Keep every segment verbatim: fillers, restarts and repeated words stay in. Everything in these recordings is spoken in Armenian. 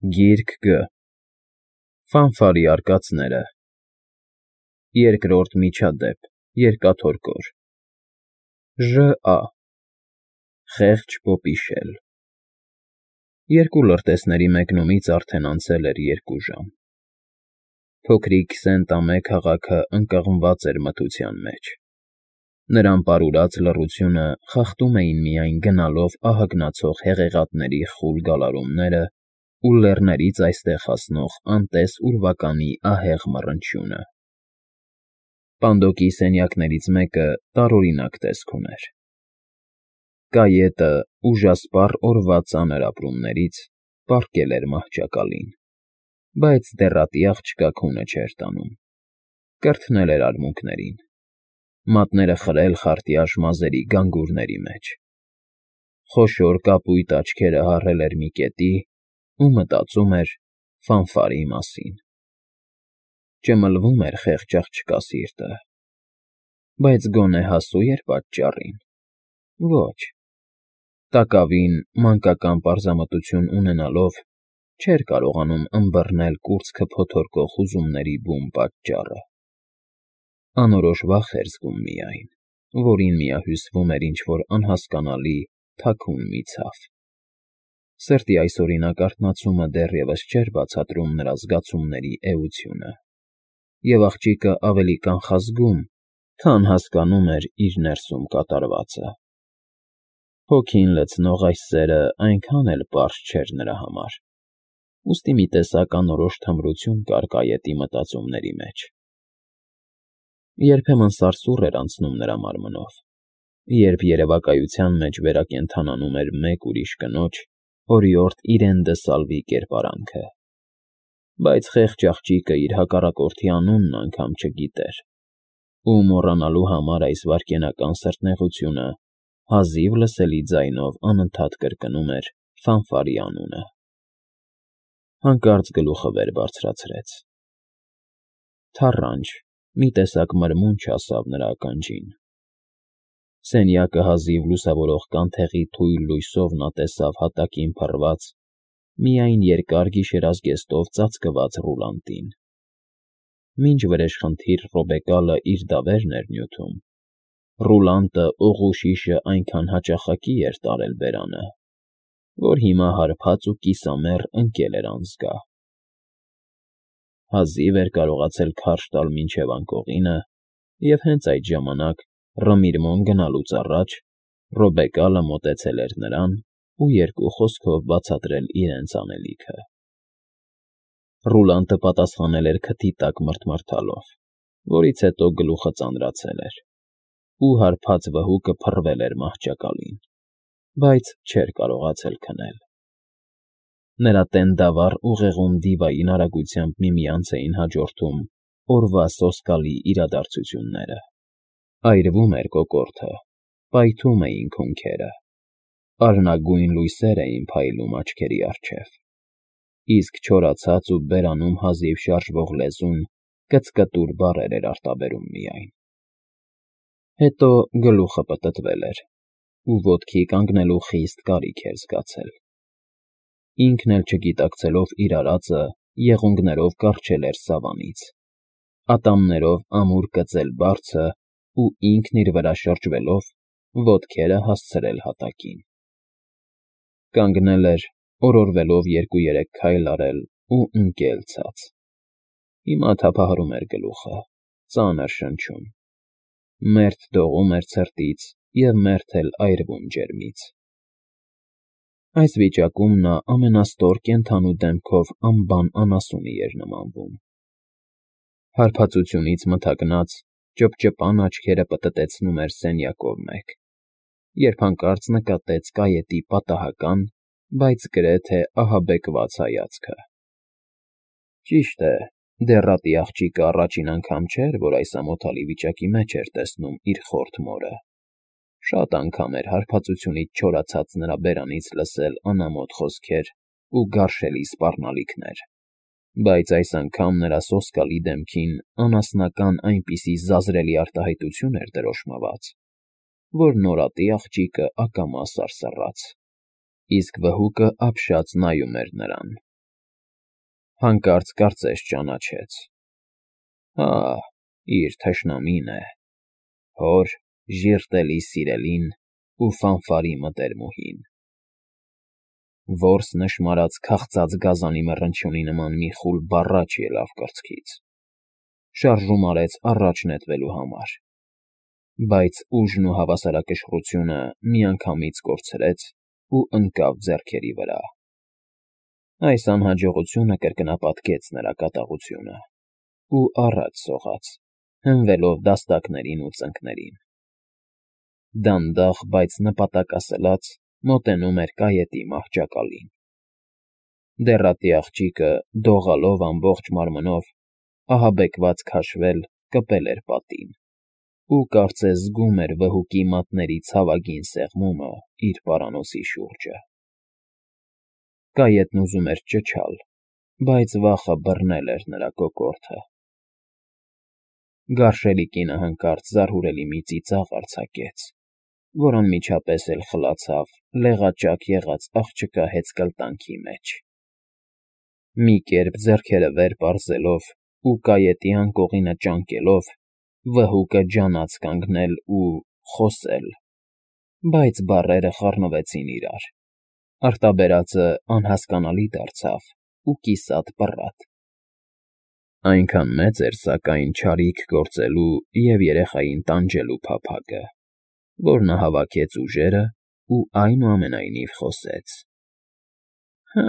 Գիրք Գ Ֆանֆարի արկածները Երկրորդ միջադեպ Երկաթոր Ժ.Ա. Խեղճ պոպիշել Երկու լրտեսների մեկնումից արդեն անցել էր երկու ժամ։ Փոքրիկ Սենտ-Ամե քաղաքը ընկղմված էր մթության մեջ։ Նրան պարուրած լռությունը խախտում էին միայն գնալով ահագնացող հեղեղատների խուլ գալարումները ու լեռներից այստեղ հասնող անտես ուրվականի ահեղ մռնչյունը։ Պանդոկի սենյակներից մեկը տարօրինակ տեսք ուներ։ Կայետը ուժասպառ օրվա ծանր ապրումներից պառկել էր մահճակալին, բայց դեռատի աղջկա քունը չէր տանում, կրթնել էր արմունկներին, մատները խրել խարտյաշ մազերի գանգուրների մեջ։ Խոշոր կապույտ աչքերը հառել էր մի կետի ու մտածում էր Ֆանֆարի մասին։ Ճմլվում էր խեղճ աղջկա սիրտը, բայց գոնե հասո՞ւ էր պատճառին։ Ոչ, տակավին մանկական պարզամտություն ունենալով չէր կարողանում ըմբռնել կուրծքը փոթորկող հուզումների բուն պատճառը։ Անորոշ վախ էր զգում միայն, որին միահյուսվում էր ինչ֊որ անհասկանալի, թաքուն մի ցավ։ Սրտի այսօրինակ արթնացումը դեռևս չէր բացատրում նրա զգացումների էությունը, և աղջիկը ավելի կանխազգում, քան հասկանում էր իր ներսում կատարվածը։ Հոգին լցնող այս սերը այնքան էլ պարզ չէր նրա համար, ուստի մի տեսակ անորոշ թմրություն կար կայետի մտածումների մեջ։ Երբեմն սարսուռ էր անցնում նրա մարմնով, երբ երևակայության մեջ վերակենդանանում էր մեկ ուրիշ կնոջ օրիորդ իրեն դսալվի կերպարանքը, բայց խեղճ աղջիկը իր հակառակորդի անունն անգամ չգիտեր, ու մոռանալու համար այս վայրկենական սրտնեղությունը հազիվ լսելի ձայնով անընդհատ կրկնում էր Ֆանֆարի անունը։ Հանկարծ գլուխը վեր բարձրացրեց։ Թառանչ, մի տեսակ մրմունջ հասավ նրա ականջին։ Սենյակը հազիվ լուսավորող կանթեղի թույլ լույսով նա տեսավ հատակին փռված, միայն երկար գիշերազգեստով ծածկված ռուլանտին։ Մինչ վրեժխնդիր Ռոբեկալը իր դավերն էր նյութում, ռուլանտը օղու շիշը այնքան հաճախակի էր տարել բերանը, որ հիմա հարբած ու կիսամեռ ընկել էր անզգա։ Հազիվ էր կարողացել քարշ տալ մինչև անկողինը, և հենց այդ ժամանակ, Ռմիրմոն գնալուց առաջ, Ռոբեկալը մոտեցել էր նրան ու երկու խոսքով բացատրել իրենց անելիքը։ Ռուլանտը պատասխանել էր քթի տակ մռթմռթալով, որից հետո գլուխը ծանրացել էր, ու հարբած վհուկը փռվել էր մահճակալին, բայց չէր կարողացել քնել։ Նրա տենդավառ ուղեղում դիվային արագությամբ միմյանց էին հաջորդում օրվա սոսկալի իրադարձությունները։ Այրվում էր կոկորդը, պայթում էին քունքերը, արհնագույն լույսեր էին փայլում աչքերի առջև, իսկ չորացած ու բերանում հազիվ շարժվող լեզուն կծկտուր բառեր էր արտաբերում միայն։ Հետո գլուխը պտտվել էր, ու ոտքի կանգնելու խիստ կարիք էր զգացել։ Ինքն էլ չգիտակցելով իր արածը, եղունգներով կառչել էր սավանից, ատամներով ամուր կծել բարձը ու ինքն իր վրա շրջվելով, ոտքերը հասցրել հատակին։ Կանգնել էր, օրորվելով երկու֊երեք քայլ արել ու ընկել ցած։ Հիմա թափահարում էր գլուխը, ծանր շնչում, մերթ դողում էր ցրտից և մերթ էլ այրվում ջերմից։ Այս վիճակում նա ամենաստոր կենդանու դեմքով անբան անասունի էր նմանվում։ Հարբածությունից մթագնած, ճպճպան աչքերը պտտեցնում էր սենյակով մեկ, երբ հանկարծ նկատեց կայետի պատահական, բայց գրեթե ահաբեկված հայացքը։ Ճիշտ է, դեռատի աղջիկը առաջին անգամ չէր, որ այս ամոթալի վիճակի մեջ էր տեսնում իր խորթ մորը։ Շատ անգամ էր հարբածությունից չորացած նրա բերանից լսել անամոթ խոսքեր ու գարշելի սպառնալիքներ, բայց այս անգամ նրա սոսկալի դեմքին անասնական այնպիսի զազրելի արտահայտություն էր դրոշմված, որ նորատի աղջիկը ակամա սարսռաց, իսկ վհուկը ապշած նայում էր նրան, Հանկարծ կարծես ճանաչեց. Հա, իր թշնամին է, հոր ժիրտելի սիրելին ու ֆանֆարի մտերմուհին։ Որս նշմարած քաղցած գազանի մռնչյունի նման մի խուլ բառաչ ելավ կրծքից, շարժում արեց առաջ նետվելու համար, բայց ուժն ու հավասարակշռությունը միանգամից կորցրեց ու ընկավ ձեռքերի վրա։ Այս անհաջողությունը կրկնապատկեց նրա կատաղությունը ու առաջ սողաց, հենվելով դաստակներին ու ծնկներին։ Դանդաղ, բայց նպատակասլաց մոտենում էր կայետի մահճակալին։ Դեռատի աղջիկը, դողալով ամբողջ մարմնով, ահաբեկված քաշվել, կպել էր պատին ու կարծես զգում էր վհուկի մատների ցավագին սեղմումը իր պարանոցի շուրջը։ Կայետն ուզում էր ճչալ, բայց վախը բռնել էր նրա կոկորդը։ Գարշելի կինը հանկարծ զարհուրելի մի ծիծաղ արձակեց, որ անմիջապես էլ խլացավ լեղաճակ եղած աղջկա հեծկլտանքի մեջ։ Մի կերպ ձեռքերը վեր պարզելով ու կայետի անկողինը ճանկելով, վհուկը ջանաց կանգնել ու խոսել, բայց բառերը խառնվեցին իրար, արտաբերածը անհասկանալի դարձավ ու կիսատ պռատ։ Այնքան մեծ էր, սակայն, չարիք գործելու և երեխային տանջելու փափագը, որ նա հավաքեց ուժերը ու այնուամենայնիվ խոսեց. Հը,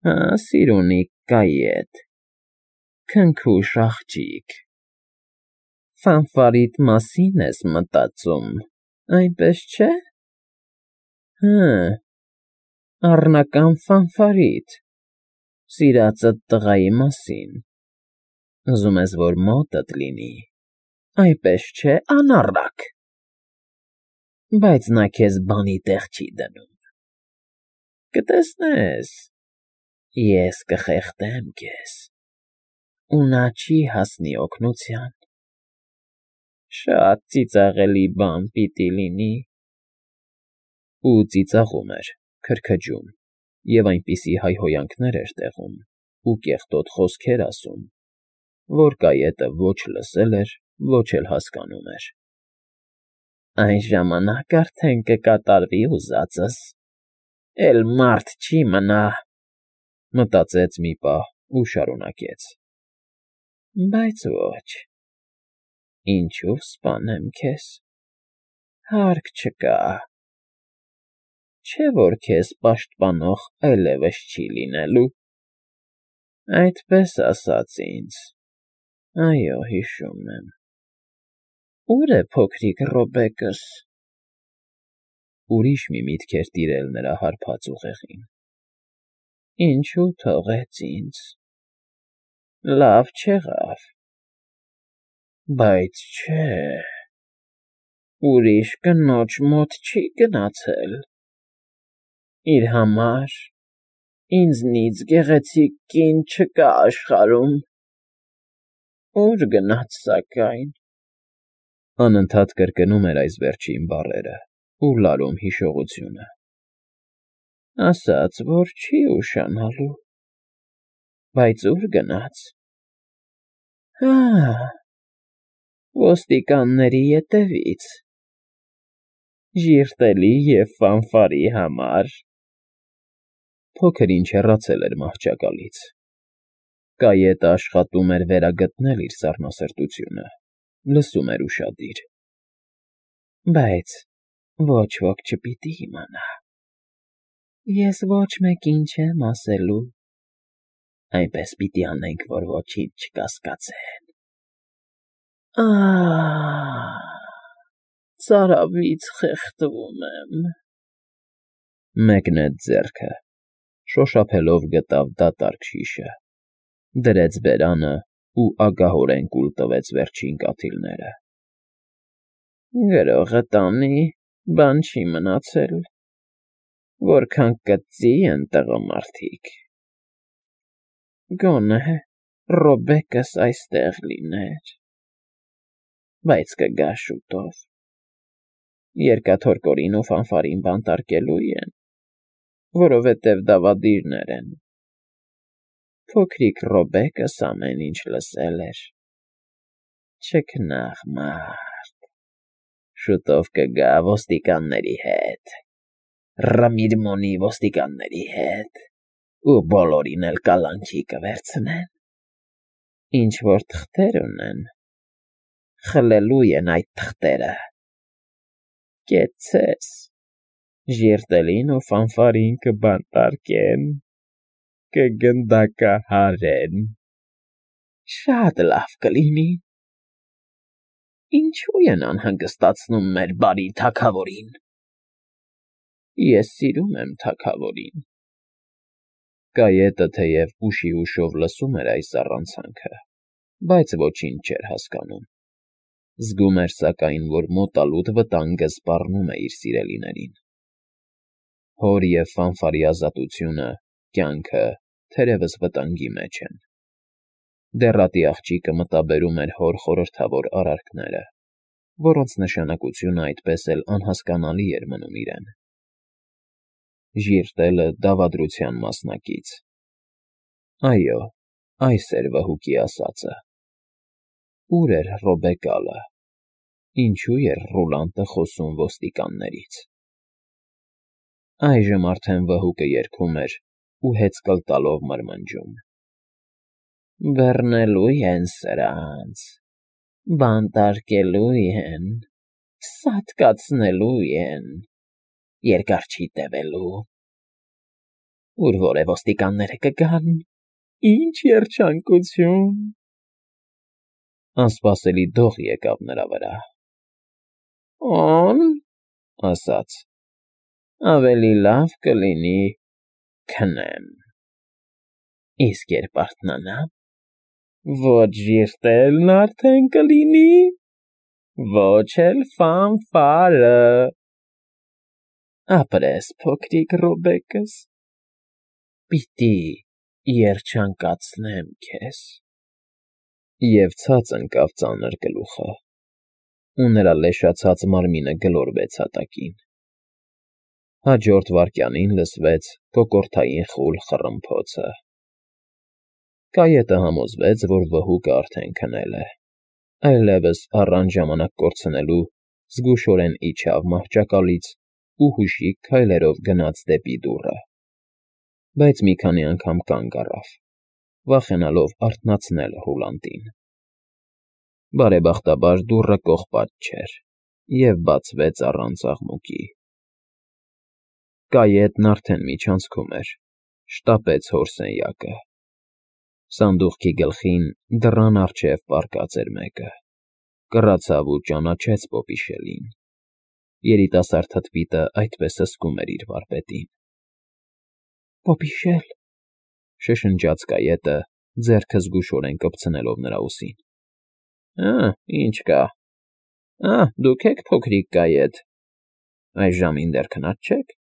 հը, սիրունի կայետ, քնքուշ աղջիկ, ֆանֆարիդ մասին ես մտածում, այնպես չէ՞։ Հը, առնական ֆանֆարիդ, սիրածդ տղայի մասին, ուզում ես, որ մոտդ լինի, այնպես չէ՞, անառակ։ Բայց նա քեզ բանի տեղ չի դնում։ Կտեսնես, ես կխեղդեմ քեզ, ու նա չի հասնի օգնության։ Շատ ծիծաղելի բան պիտի լինի։ Ու ծիծաղում էր, քրքջում, և այնպիսի հայհոյանքներ էր տեղում ու կեղտոտ խոսքեր ասում, որ կայետը ոչ լսել էր, ոչ էլ հասկանում էր։ Այն ժամանակ արդեն կկատարվի ուզածս, էլ մարդ չի մնա, մտածեց մի պահ ու շարունակեց. Բայց ոչ, ինչու սպանեմ քեզ, հարկ չկա, չէ՞ որ քեզ պաշտպանող այլևս չի լինելու։ Այդպես ասաց ինձ, այո, հիշում եմ։ Ո՞ւր է փոքրիկ Ռոբեկս։ Ուրիշ մի միտք էր տիրել նրա հարբած ուղեղին։ Ինչու թողեց ինձ։ Լավ չեղավ։ Բայց չէ, ուրիշ կնոջ մոտ չի գնացել։ Իր համար ինձնից գեղեցիկ կին չկա աշխարհում։ Ո՞ւր գնաց սակայն։ Անընդհատ կրկնում էր այս վերջին բառերը ու լարում հիշողությունը։ Ասաց, որ չի ուշանալու։ Բայց ո՞ւր գնաց։ Հա, ոստիկանների ետևից։ Ժիրտելի և ֆանֆարի համար։ Փոքր-ինչ հեռացել էր մահճակալից։ Կայետը աշխատում էր վերագտնել իր սառնասրտությունը, լսում էր ուշադիր։ Բայց ոչ ոք չպիտի իմանա։ Ես ոչ մեկին չեմ ասելու։ Այնպես պիտի անենք, որ ոչինչ չկասկածեն։ Ահ, ծարավից խեղդվում եմ։ Մեկնեց ձեռքը, շոշափելով գտավ դատարկ շիշը, դրեց բերանը ու ագահորեն կուլ տվեց վերջին կաթիլները։ Գրողը տանի, բան չի մնացել, որքան կծի են տղամարդիկ։ Գոնե Ռոբեկս այստեղ լիներ, բայց կգա շուտով, երկաթորկորին ու ֆանֆարին բանտարկելու են, որովհետև դավադիրներ են։ Փոքրիկ Ռոբեկս ամեն ինչ լսել էր։ Չքնաղ մարդ, շուտով կգա ոստիկանների հետ, Ռամիրմոնի ոստիկանների հետ, ու բոլորին էլ կալանքի կվերցնեն։ Ինչ-որ թղթեր ունեն, խլելու են այդ թղթերը։ Կեցցես, Ժիրտելին ու Ֆանֆարին կբանտարկեն, կգնդակահարեն։ Շատ լավ կլինի։ Ինչու են անհանգստացնում մեր բարի թագավորին։ Ես սիրում եմ թագավորին։ Կայետը թեև ուշի ուշով լսում էր այս առանցանքը, բայց ոչինչ չէր հասկանում։ Զգում էր, սակայն, որ մոտալուտ վտանգը սպառնում է իր սիրելիներին։ Հոր և Ֆանֆարի ազատությունը, կյանքը թերևս վտանգի մեջ են։ Դեռատի աղջիկը մտաբերում էր հոր խորհրդավոր արարքները, որոնց նշանակությունը այդպես էլ անհասկանալի էր մնում իրեն։ Ժիրտելը դավադրության մասնակից։ Այո, այս էր վհուկի ասածը։ Ուր էր Ռոբեկալը։ Ինչու էր Ռուլանտը խոսում ոստիկաններից։ Այժմ արդեն վհուկը երգում էր ու հեծկլ տալով մրմնջում. Բռնելու են սրանց, բանտարկելու են, սատկացնելու են, երկար չի տևելու։ Ուր որ է ոստիկանները կգան, ինչ երջանկություն։ Անսպասելի դող եկավ նրա վրա։ Օն, ասաց. ավելի լավ կլինի քնեմ։ Իսկ երբ արթնանամ, ոչ Ժիրտելն արդեն կլինի, ոչ էլ Ֆանֆարը։ Ապրես, փոքրիկ Ռոբեկս, պիտի երջանկացնեմ քեզ։ Եվ ցած ընկավ ծանր գլուխը, ու նրա լեշացած մարմինը գլորվեց հատակին։ Հաջորդ վայրկյանին լսվեց կոկորդային խուլ խռմփոցը։ Կայետը համոզվեց, որ վհուկը արդեն քնել է, այլևս առանց ժամանակ կորցնելու զգուշորեն իջավ մահճակալից ու հուշիկ քայլերով գնաց դեպի դուռը։ Բայց մի քանի անգամ կանգ առավ, վախենալով արթնացնել Ռուլանտին։ Բարեբախտաբար դուռը կողպատ չէր և բացվեց առանց աղմուկի։ Կայետն արդեն միջանցքում էր, շտապեց հոր սենյակը։ Սանդուղքի գլխին դռան առջև պառկած էր մեկը, կռացավ ու ճանաչեց Պոպիշելին։ Երիտասարդ թթվիտը այդպես հսկում էր իր վարպետին։ Պոպիշել, շշնջաց Կայետը, ձեռքը զգուշորեն կպցնելով նրա ուսին։ Ա, ինչ կա։ Ա, դուք եք փոքրիկ Կայետ։ Այս ժամին դեռ քնած չեք։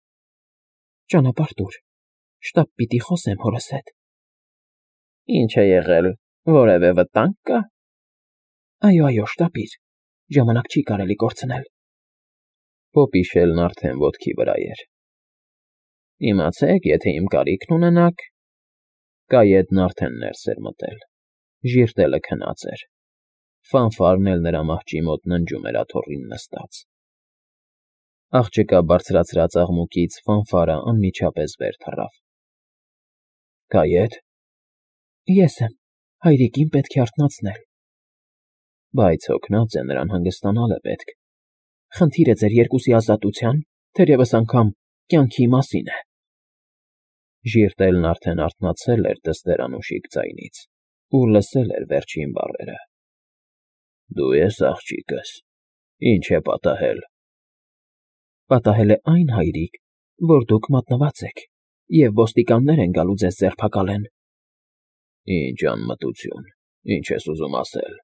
Ճանապարհ տուր, շտապ պիտի խոսեմ հորս հետ։ Ինչ է եղել, որևէ վտանգ կա։ Այո, այո, շտապիր, ժամանակ չի կարելի կորցնել։ Պոպիշելն արդեն ոտքի վրա էր։ Իմացեք, եթե իմ կարիքն ունենաք։ Կայետն արդեն ներս էր մտել։ Ժիրտելը քնած էր։ Ֆանֆարն էլ նրա մահճի մոտ ննջում էր աթոռին նստած։ Աղջկա բարձրացրած աղմուկից Ֆանֆարը անմիջապես վեր թռավ։ Կայետ։ Ես եմ, հայրիկին պետք է արթնացնել։ Բայց հոգնած է, նրան հանգստանալ է պետք։ Խնդիրը ձեր երկուսի ազատության, թերևս անգամ կյանքի մասին է։ Ժիրտելն արդեն արթնացել էր դստերանուշիկ ձայնից ու լսել էր վերջին բառերը։ Դու ես աղջիկս, ինչ է պատահել։ Պատահել է այն, հայրիկ, որ դուք մատնված եք, և ոստիկաններ են գալու ձեզ ձերբակալեն։ Ինչ անմտություն, ինչ ես ուզում ասել։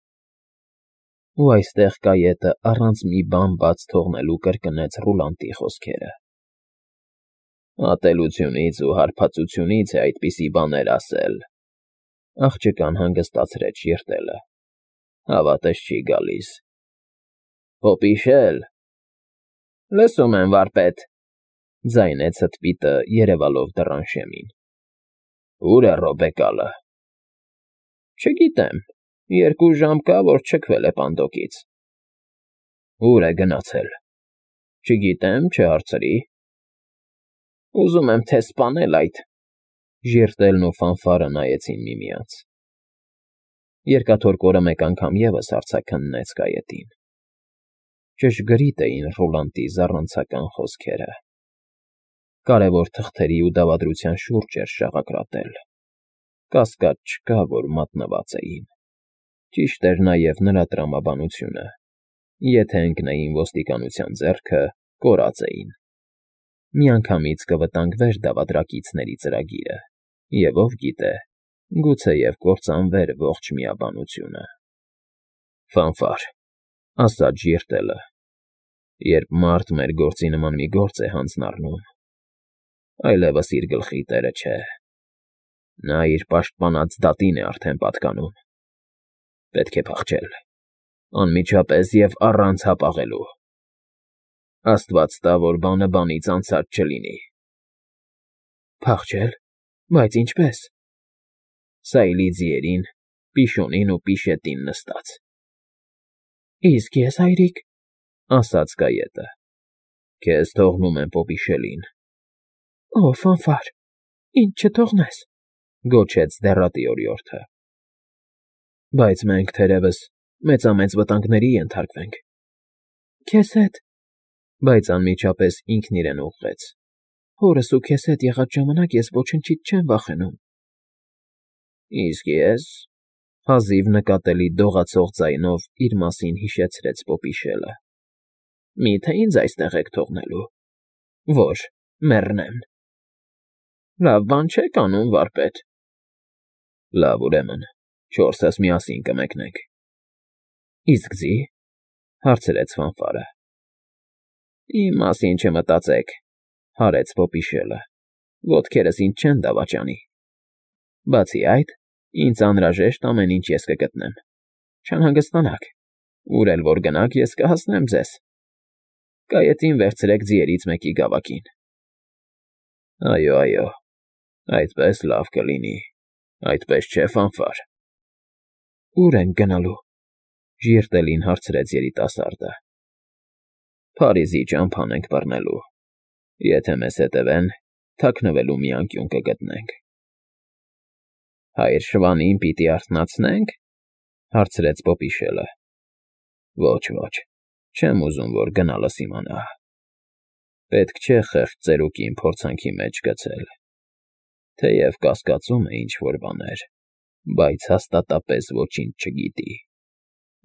Ու այստեղ Կայետը առանց մի բան բաց թողնելու կրկնեց Ռուլանտի խոսքերը։ Ատելությունից ու հարբածությունից է այդպիսի բաներ ասել։ Աղջկան հանգստացրեց Ժիրտելը։ Հավատս չի գալիս։ Պոպիշել։ Լսում եմ, վարպետ, ձայնեց հտպիտը, երևալով դռան շեմին։ Ո՞ւր է Ռոբեկալը։ Չգիտեմ, երկու ժամ կա, որ չքվել է պանդոկից։ Ո՞ւր է գնացել։ Չգիտեմ, չհարցրի։ Ուզում եմ թե սպանել այդ… Ժիրտելն ու ֆանֆարը նայեցին միմյանց։ Երկաթորկորը մեկ անգամ ևս արձագաննեց կայետին։ Ճշգրիտ էին Ռոլանդի զառանցական խոսքերը։ Կարևոր թղթերի ու դավադրության շուրջ էր շաղակրատել։ Կասկած չկա, որ մատնված էին։ Ճիշտ էր նաև նրա տրամաբանությունը. եթե ընկնեին ոստիկանության ձեռքը, կորած էին։ Միանգամից կվտանգվեր դավադրակիցների ծրագիրը, և ով գիտե, գուցեև կործանվեր ողջ միաբանությունը։ Ֆանֆար, ասաց Ժիրտելը, երբ մարդ մեր գործի նման մի գործ է հանձն առնում, այլևս իր գլխի տերը չէ։ Նա իր պաշտպանած դատին է արդեն պատկանում։ Պետք է փախչել, անմիջապես և առանց հապաղելու։ Աստված տա, որ բանը բանից անցած չլինի։ Փախչել, բայց ինչպե՞ս։ Սայլի ձիերին, Պիշոնին ու Պիշետին նստած։ Իսկ ես, հայրիկ, ասաց կայետը, քեզ թողնում եմ Պոպիշելին։ Օ, Ֆանֆար, ինձ չթողնես, գոչեց դեռատի օրիորդը։ Բայց մենք, թերևս, մեծամեծ վտանգների ենթարկվենք։ Քեզ հետ, բայց անմիջապես ինքն իրեն ուղղեց։ Հորս ու քեզ հետ եղած ժամանակ ես ոչնչից չեմ վախենում։ Իսկ ես… Հազիվ նկատելի դողացող ձայնով իր մասին հիշեցրեց Պոպիշելը։ Մի՞թե ինձ այստեղ եք թողնելու։ Ոչ, մեռնեմ։ Լավ բան չեք անում, վարպետ։ Լավ, ուրեմն, չորսս միասին կմեկնենք։ Իսկ ձի՞, հարցրեց Ֆանֆարը։ Իմ մասին չմտածեք, հարեց Պոպիշելը, ոտքերս ինձ չեն դավաճանի։ Բացի այդ, ինձ անհրաժեշտ ամեն ինչ ես կգտնեմ։ Չանհանգստանաք, ուր էլ որ գնաք, ես կհասնեմ ձեզ։ Կայետին վերցրեք ձիերից մեկի գավակին։ Այո, այո, այդպես լավ կլինի, այդպես չէ, Ֆանֆար։ Ո՞ւր ենք գնալու, Ժիրտելին հարցրեց երիտասարդը։ Փարիզի ճամփան ենք բռնելու։ Եթե մեզ հետևեն, թաքնվելու մի անկյուն կգտնենք։ Հայր շվանին պիտի արթնացնե՞նք, հարցրեց Պոպիշելը։ Ոչ, ոչ, չեմ ուզում, որ գնալս իմանա։ Պետք չէ խեղճ ծերուկին փորձանքի մեջ գցել։ Թեև կասկածում է ինչ֊որ բաներ, բայց հաստատապես ոչինչ չգիտի։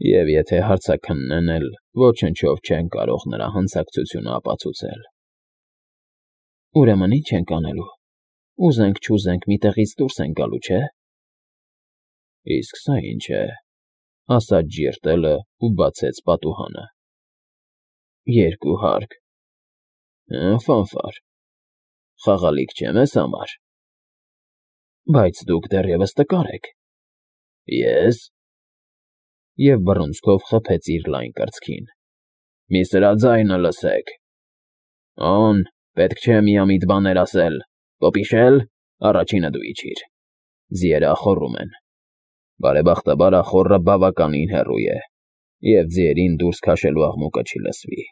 Եվ եթե հարցաքննեն էլ, ոչնչով չեն կարող նրա հանցակցությունը ապացուցել։ Ուրեմն ի՞նչ ենք անելու։ Ուզենք֊չուզենք մի տեղից դուրս ենք գալու, չէ՞։ Իսկ սա ինչ է, ասաց Ժիրտելը ու բացեց պատուհանը։ Երկու հարկ։ Հը, Ֆանֆար, խաղալիք չէ մեզ համար։ Բայց դուք դեռևս տկար եք։ Ես… Եվ բռունցքով խփեց իր լայն կրծքին։ Մի սրա ձայնը լսեք։ Օն, պետք չէ միամիտ բաներ ասել։ Պոպիշել, առաջինը դու իջիր։ Ձիերը ախոռում են։ Բարեբախտաբար ախոռը բավականին հեռու է, և ձիերին դուրս քաշելու աղմուկը չի լսվի։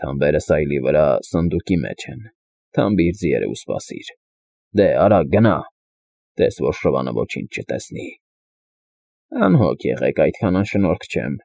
Թամբերը սայլի վրա սնդուկի մեջ են։ Թամբիր ձիերը ու սպասիր։ Դե, արագ գնա, տես որ շվանը ոչինչ չտեսնի։ Անհոգ եղեք, այդքան անշնորհք չեմ։